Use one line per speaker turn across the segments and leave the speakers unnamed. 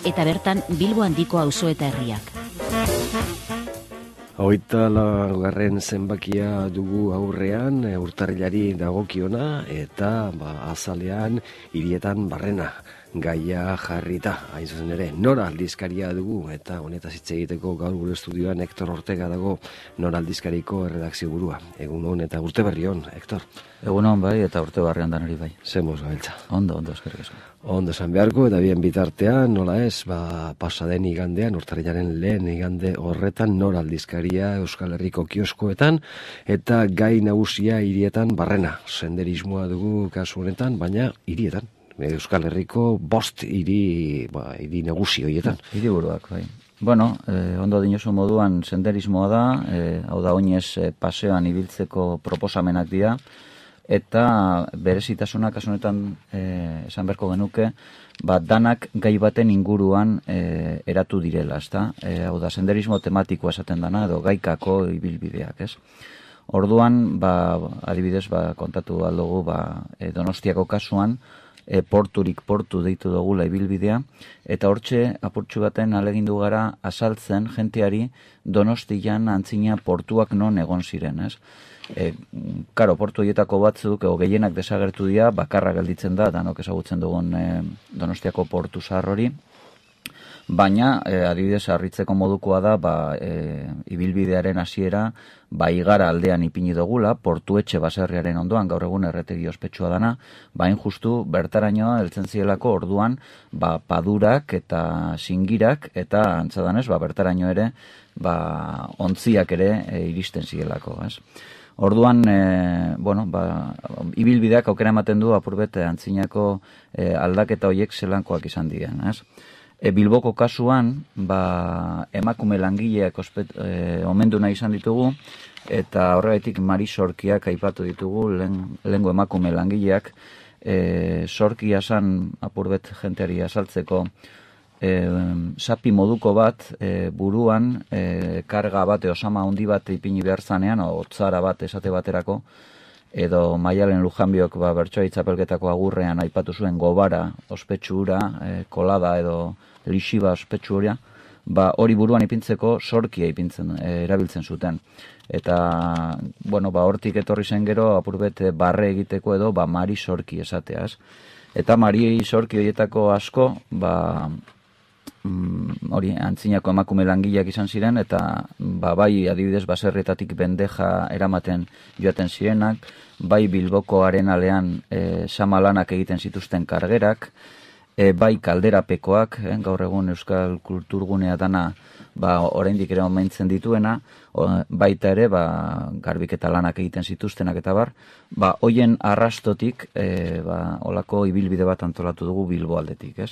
eta bertan Bilbo handiko auzo eta herriak.
24. zenbakia dugu aurrean, urtarrilari dagokiona, eta azalean hirietan barrena gaia jarrita, hain zuzen ere, Nora aldizkaria dugu, eta honetaz hitz egiteko gaur gure estudioan Hector Ortega dago, Nora aldizkariko erredakzio burua. Egun hon eta urte berri hon, Hector.
Egun hon bai, eta urte barrian danari bai.
Zemoz gabiltza.
Ondo, eskerrik asko.
Ondo esan beharko, eta bien bitartean, nola ez, pasaden igandean, urtarrilaren lehen igande horretan, Nora aldizkaria Euskal Herriko kioskoetan, eta gai nagusia hirietan barrena. Senderismoa dugu kasu honetan, baina hirietan. Euskal Herriko 5 hiri nagusi horietan.
Hiriburuak, bai. Bueno, ondo dinosu moduan senderismoa da, hau da oinez paseoan ibiltzeko proposamenak dira, eta berezitasunak kasunetan esan beharko genuke, danak gai baten inguruan eratu direla, ezta? Hau da, senderismo tematikoa esaten dana, edo gaikako ibilbideak, ez? Orduan, adibidez, kontatu aldugu, Donostiako kasuan, porturik portu deitu dugula ibilbidea, eta hortxe apurtxu baten alegindu gara azaltzen jenteari Donostian antzina portuak non egon ziren, ez? Karo, portu horietako batzuk, gehienak desagertu dira, bakarra gelditzen da, danok ezagutzen dugun Donostiako portu zahar hori, baina, adibidez, harritzeko modukoa da, ibilbidearen hasiera, Igara aldean ipini dugula, portuetxe baserriaren ondoan, gaur egun erretegi ospetsua dana, hain justu bertarainoa heltzen zielako orduan, padurak eta singirak, eta antzadanez, bertaraino ere, ontziak ere iristen zielako, ez? Orduan, ibilbideak aukera ematen du apurbet antzinako aldaketa horiek zelankoak izan diren, ez? Bilboko kasuan, emakume langileak omendu nahi izan ditugu, eta horregatik Mari Sorkiak aipatu ditugu, lehengo emakume langileak, Sorkia zan apurbet jenteari azaltzeko, sapi moduko bat, buruan, karga bat, osama handi bat ipini behar zanean, otzara bat esate baterako, edo Maialen Lujanbiok bertsoa itzapelketako agurrean aipatu zuen gobara, ospetsu hura, kolada edo lixiba ospetsu hura, hori buruan ipintzeko sorkia erabiltzen zuten. Eta, hortik etorri zen gero, apurbet barre egiteko edo, Mari Sorki esateaz. Eta Mari Sorki horietako asko, hori antzinako emakume langileak izan ziren, eta bai adibidez baserrietatik bendeja eramaten joaten zirenak, bai Bilboko arenalean samalanak egiten zituzten kargerak, bai kalderapekoak, gaur egun Euskal Kulturgunea dana oraindik ere omentzen dituena, baita ere garbiketa lanak egiten zituztenak eta hoien arrastotik olako ibilbide bat antolatu dugu Bilbo aldetik, ez?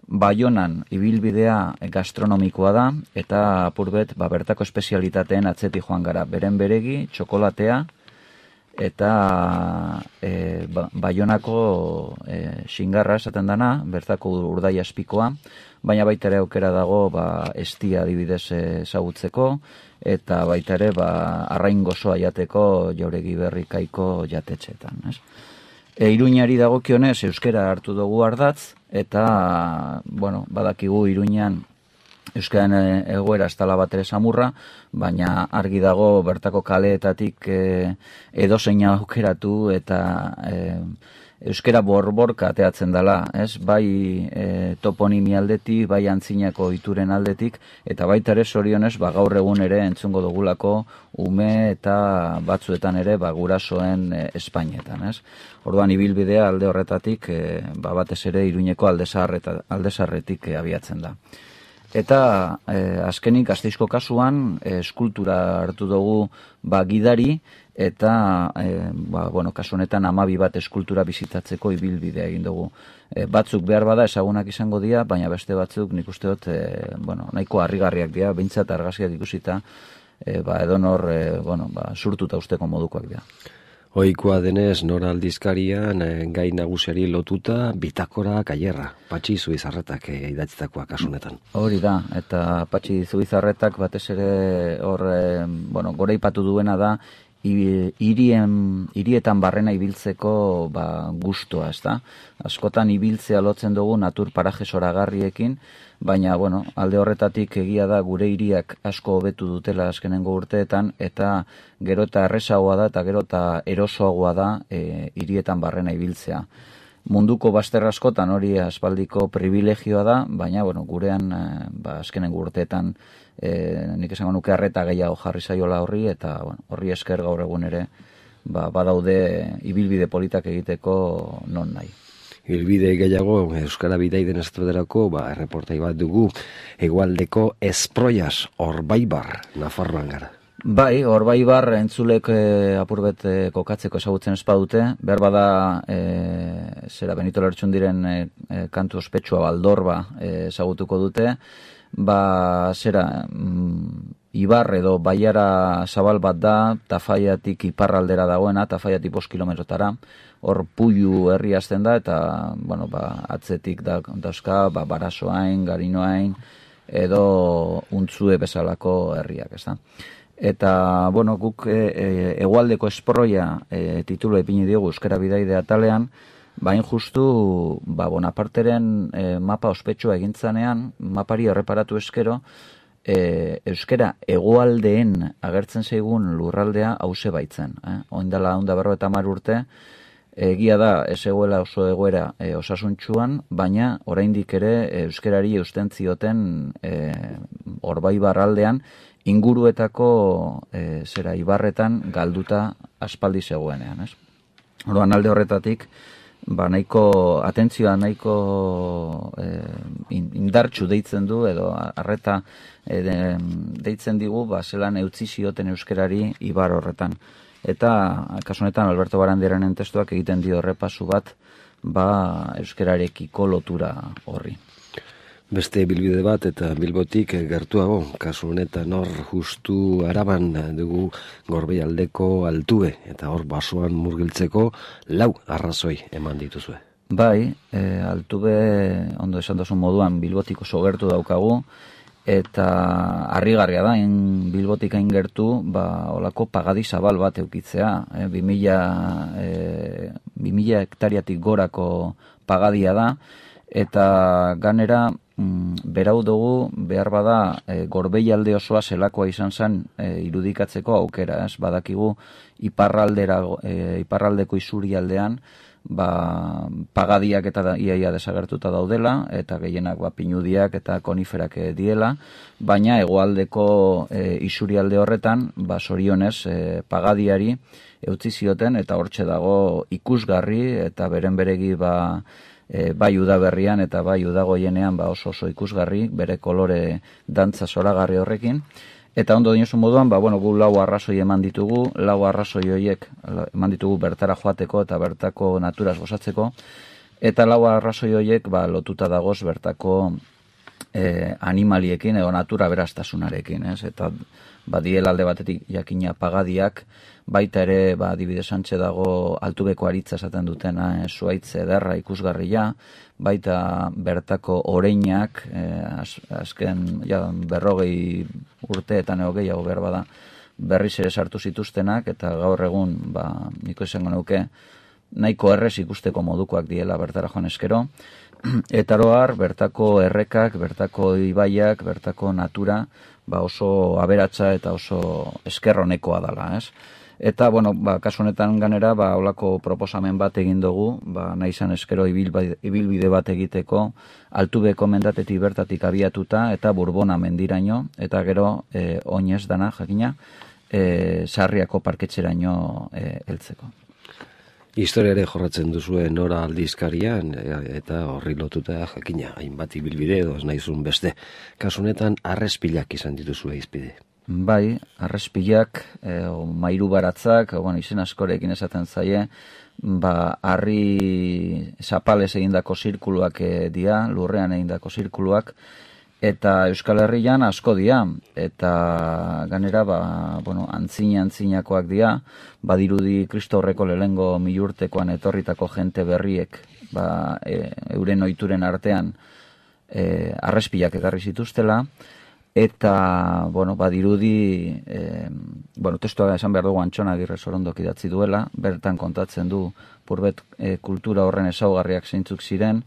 Baionan ibilbidea gastronomikoa da, eta apurbet bertako espezialitateen atzetik joan gara, beren beregi, txokolatea, eta Baionako xingarra esaten dana, bertako urdai aspikoa, baina baita ere aukera dago estia adibidez ezagutzeko, eta baita ere arrain gozoa jateko Jauregi Berrikaiko jatetxeetan, ez? Iruñari dagokionez euskera hartu dugu ardatz, eta, badakigu Iruñan euskaren egoera ez dela bat ere samurra, baina argi dago bertako kaleetatik edozein aukeratu eta euskera borborka ateatzen dela, ez? Bai toponimi aldetik, bai antzinako ituren aldetik, eta baita ere zorionez gaur egun ere entzungo dugulako ume eta batzuetan ere gurasoen Espainetan, ez? Orduan ibilbidea alde horretatik batez ere Iruñeko aldezarretik abiatzen da. Eta azkenik Gasteizko kasuan eskultura hartu dugu gidari, eta kasu honetan 12 bat eskultura bizitatzeko ibilbidea egin dugu. Batzuk behar bada ezagunak izango dira, baina beste batzuk nik uste dut nahiko harrigarriak dira, behintzat argazkiak ikusita, edonor surtuta usteko modukoak dira.
Ohikoa denez, Nora aldizkarian gai nagusiari lotuta bitakora kailerra, Patxi Zubizarretak idatzitakoa kasunetan.
Hori da, eta Patxi Zubizarretak batez ere goraipatu duena da hirietan barrena ibiltzeko gustua, ezta? Askotan ibiltzea lotzen dugu natur paraje zoragarriekin, baina, alde horretatik egia da gure hiriak asko hobetu dutela azkenengo urteetan, eta gero eta errezagoa da eta gero eta erosoagoa da hirietan barrena ibiltzea. Munduko bazter askotan hori aspaldiko privilegioa da, baina, gurean azkenengo urteetan nik esango nuke arreta gehiago jarri zaiola horri, eta horri esker gaur egun ere badaude ibilbide politak egiteko non nahi.
Ibilbide gehiago Euskara Bidaiden Estraderako erreportai bat dugu hegoaldeko Esproias, Orbaibar, Nafarroan gara.
Bai, Orbaibar entzulek apurbet kokatzeko ezagutzen espadute, behar bada Benito Lertxundiren kantu ospetsua Baldorba ezagutuko dute, ibar edo baiara zabal bat da, Tafaiatik iparraldera dagoena, Tafaiatik 5 kilometrotara, hor Puiu herri hasten da, eta atzetik dauzka Barasoain, Garinoain, edo Untzue bezalako herriak, ez da. Eta, guk hegoaldeko Esproia titulu ipini diogu Euskara Bidaide atalean, bain justu Bonaparteren mapa ospetsua egintzanean, mapari erreparatu eskero, euskera hegoaldeen agertzen zaigun lurraldea hause baitzen. Oindala 150 urte, egia da ez egoela oso egoera osasuntsuan, baina oraindik ere euskerari eusten zioten Orbaibar aldean inguruetako ibarretan galduta aspaldi zegoenean. Orduan alde horretatik, nahiko atentzioa nahiko indartsu deitzen du edo arreta deitzen digu zelan eutzi zioten euskerari ibar horretan. Eta kasu honetan Alberto Barandiaranen testuak egiten dio errepasu bat euskerarekiko lotura horri.
Beste bilbide bat eta Bilbotik gertuago, kasu honetan hor justu Araban dugu Gorbeialdeko Altube, eta hor basoan murgiltzeko 4 arrazoi eman dituzue.
Bai, Altube, ondo esan duzun moduan, Bilbotik oso gertu daukagu, eta harrigarria da, Bilbotik hain gertu, olako pagadi zabal bat eukitzea, 2000 hektariatik gorako pagadia da, eta ganera berau dugu behar bada Gorbeialde osoa zelakoa izan zen irudikatzeko aukera, badakigu iparraldeko isurialdean pagadiak eta iaia desagertuta daudela, eta gehienak pinudiak eta koniferak diela, baina hegoaldeko isurialde horretan zorionez pagadiari eutzi zioten, eta hortxe dago ikusgarri eta beren beregi bai udaberrian eta bai udagoienean oso ikusgarri, bere kolore dantza zoragarri horrekin. Eta ondo dinosu moduan, gu 4 arrazoi eman ditugu, 4 arrazoi horiek eman ditugu bertara joateko eta bertako naturaz gozatzeko, eta 4 arrazoi horiek lotuta dagoz bertako animaliekin edo natura berastasunarekin, eta diela alde batetik jakina pagadiak, baita ere adibidez antxe dago Altubeko aritza esaten dutena, zuaitz ederra ikusgarria, baita bertako oreinak, azken 40 urteetan edo gehiago behar bada berriz ere sartu zituztenak, eta gaur egun niko izango nuke nahiko errez ikusteko modukoak diela bertara joan eskero, eta oroar bertako errekak, bertako ibaiak, bertako natura oso aberatsa eta oso eskerronekoa dela, ez? Eta, kasu honetan ganera, holako proposamen bat egin dugu, nahi izan eskero ibilbide bat egiteko, Altubeko mendatetik bertatik abiatuta, eta Burbona mendiraino, eta gero, oinez dana, jakina, Sarriako parketxeraino heltzeko.
Historiare jorratzen duzue Nora aldizkarian, eta horri lotuta jakina, hainbat ibilbide edo ez nahizun beste. Kasu honetan, arrespilak izan dituzue izpide.
Bai, arrespilak, mairu baratzak, izen askorekin esaten zaie, harri zapalez egindako zirkuluak dira, lurrean egindako zirkuluak, eta Euskal Herrian asko dira, eta ganera, antzinakoak dira, badirudi Kristo Horreko lehengo 1000 urtekoan etorritako jente berriek, euren ohituren artean, arrespilak ekarri zituztela, eta, bueno, badirudi, testua esan behar dugu Antxon Agirre Sorondok idatzi duela, bertan kontatzen du purbet kultura horren ezaugarriak zeintzuk ziren,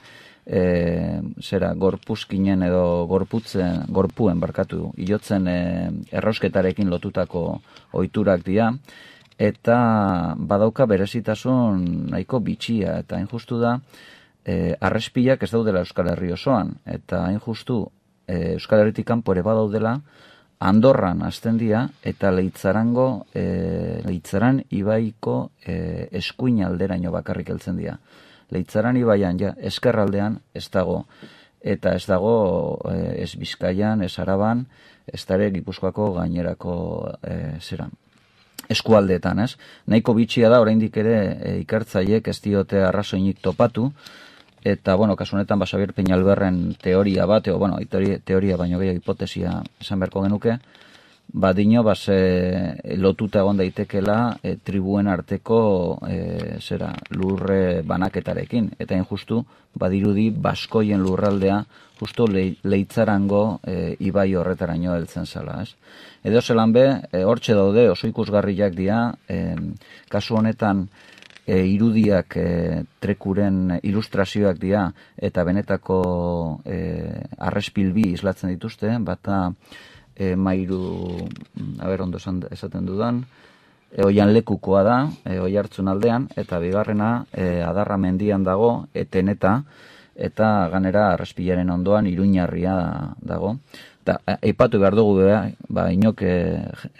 gorpuzkinen edo gorpuen hilotzen errausketarekin lotutako ohiturak dira, eta badauka berezitasun nahiko bitxia, eta hain justu da, arrespilak ez daudela Euskal Herri osoan, eta hain justu Euskal Herritik kanpo ere badaudela, Andorran hasten dira, eta Leitzaran ibaiko eskuin alderaino bakarrik heltzen dira. Leitzaran ibaian, eskerraldean ez dago, eta ez dago ez Bizkaian, ez Araban, ez dare Gipuzkoako gainerako eskualdeetan, ez? Nahiko bitxia da, oraindik ere ikertzaileek ez diote arrazoinik topatu, eta, kasu honetan, Xabier Peñalberren teoria bat, teoria baino gehiago hipotesia esan beharko genuke, badino, lotuta egon daitekela tribuen arteko lurre banaketarekin, eta injustu, badirudi, baskoien lurraldea, justu Leitzarango ibai horretaraino heltzen zala, ez? Edo zelan be, hortxe daude, oso ikusgarriak dira, kasu honetan, irudiak trekuren ilustrazioak dira eta benetako arrespilbi islatzen dituzte, bata mairu, ondo esaten dudan, oian lekukoa da, Oiartzun aldean, eta bigarrena Adarra mendian dago, eteneta, eta ganera arrespilaren ondoan Iruñarria dago. Eta aipatu behar dugu, inok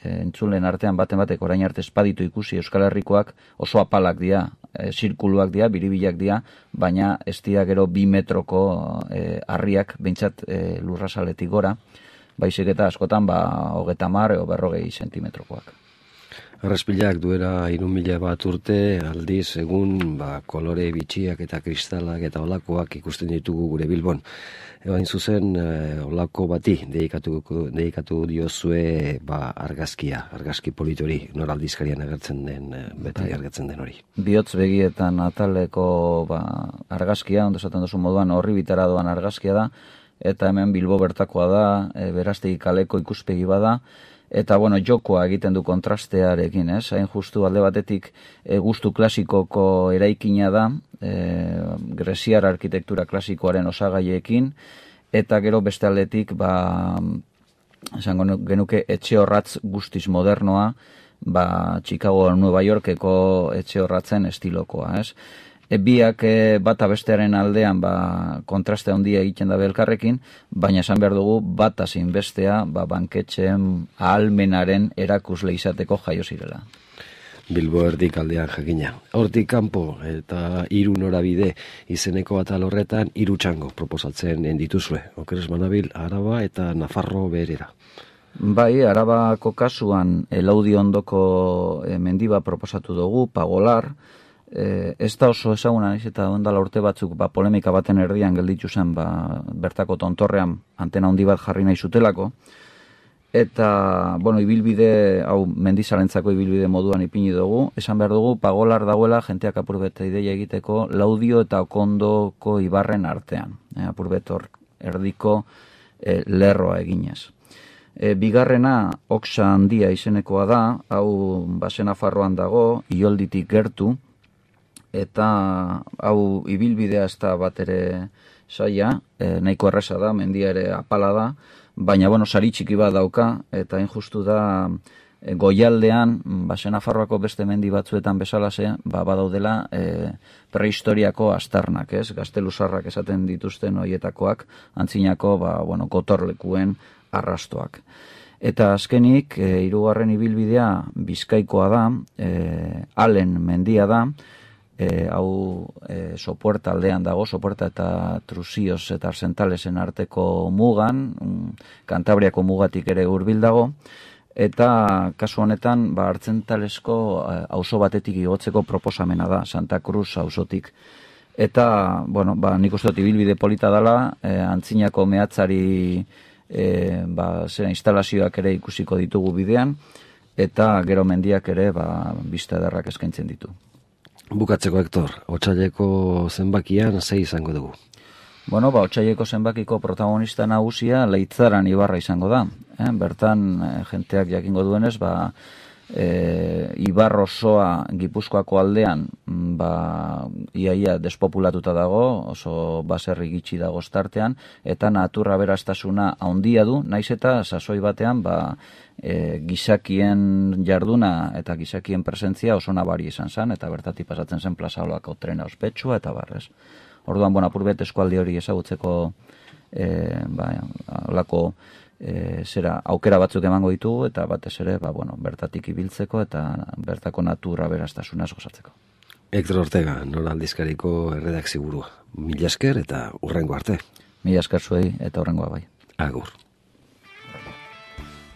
entzulen artean batek orain arte espaditu ikusi Euskal Herrikoak oso apalak dira, zirkuluak dira, biribilak dira, baina ez dira gero 2 metroko harriak, behintzat lurrazaletik gora, baizik eta askotan 30 edo 40 zentimetrokoak.
Arraspilak duela 3.000 bat urte, aldiz egun kolore bitxiak eta kristalak eta olakoak ikusten ditugu gure Bilbon. Hain zuzen, olako bati dedikatu diozue argazkia, argazki politori, nor aldizkarian agertzen den, beti agertzen den hori.
Bihotz begietan ataleko argazkia, ondo esaten duzu moduan horri bitara doan argazkia da, eta hemen Bilbo bertakoa da, Berastegi kaleko ikuspegi bada, eta, jokoa egiten du kontrastearekin, ez? Hain justu alde batetik gustu klasikoko eraikina da, greziar arkitektura klasikoaren osagaiekin, eta gero beste aldetik, esango genuke etxe horratz guztiz modernoa, Chicago, Nueva Yorkeko etxe horratzen estilokoa, ez? Biak bata bestearen aldean kontraste handia egiten da elkarrekin, baina esan behar dugu bata zein bestea banketxeen ahalmenaren erakusle izateko jaio zirela.
Bilbo erdik aldean jakina. Hortik kanpo eta 3 norabide izeneko atal horretan 3 txango proposatzen dituzue. Okeres banabil, Araba eta Nafarro beherera.
Bai, Arabako kasuan Laudi ondoko mendiba proposatu dugu, Pagolar, ez da oso ezaguna naiz eta ondala urte batzuk polemika baten erdian gelditu zen bertako tontorrean antena handi bat jarri nahi zutelako, eta ibilbide hau mendizalentzako ibilbide moduan ipini dugu, esan behar dugu Pagolar dagoela jenteak apurbet ideia egiteko Laudio eta Okondoko ibarren artean, apurbet hor erdiko lerroa eginez. Bigarrena Oksa handia izenekoa da, hau Nafarroan dago, Iolditik gertu, eta hau ibilbidea ez da bat ere saia, nahiko erresa da, mendia ere apala da, baina sari txiki bat dauka, eta injustu da goialdean, Nafarroako beste mendi batzuetan bezalase, badaudela prehistoriako astarnak, ez? Gazteluzarrak esaten dituzten hoietakoak, antzinako gotorlekuen arrastoak. Eta azkenik, 3. ibilbidea Bizkaikoa da, Alen mendia da, hau Sopuerta aldean dago, Sopuerta eta Trusioz eta Arsentalesen arteko mugan, Kantabriako mugatik ere hurbil dago, eta kasu honetan Artzentalesko auzo batetik igotzeko proposamena da, Santa Cruz auzotik. Eta, nik uste dut ibilbide polita dela, antzinako mehatzari instalazioak ere ikusiko ditugu bidean, eta gero mendiak ere bista ederrak eskaintzen ditu.
Bukatzeko, Hektor, otsaileko zenbakian 6 izango dugu.
Bueno, Otsaieko zenbakiko protagonista nagusia Leitzaran ibarra izango da. Bertan, jenteak jakingo duenez, Ibar osoa Gipuzkoako aldean iaia despopulatuta dago, oso baserri gitxi dago startean, eta natura beraztasuna handia du, naiz eta sasoi batean gizakien jarduna eta gizakien presentzia oso nabari izan zen, eta bertatik pasatzen zen Plaza Olako trena ospetsua eta barrez. Orduan, apurbet eskualdi hori ezagutzeko olako aukera batzuk emango ditugu, eta batez ere, bertatik ibiltzeko eta bertako natura beraztasuna gozatzeko.
Hector Ortega, Nora Aldizkariko erredakzio burua. Mila esker eta hurrengo arte.
Mila esker zuei eta hurrengoa bai.
Agur.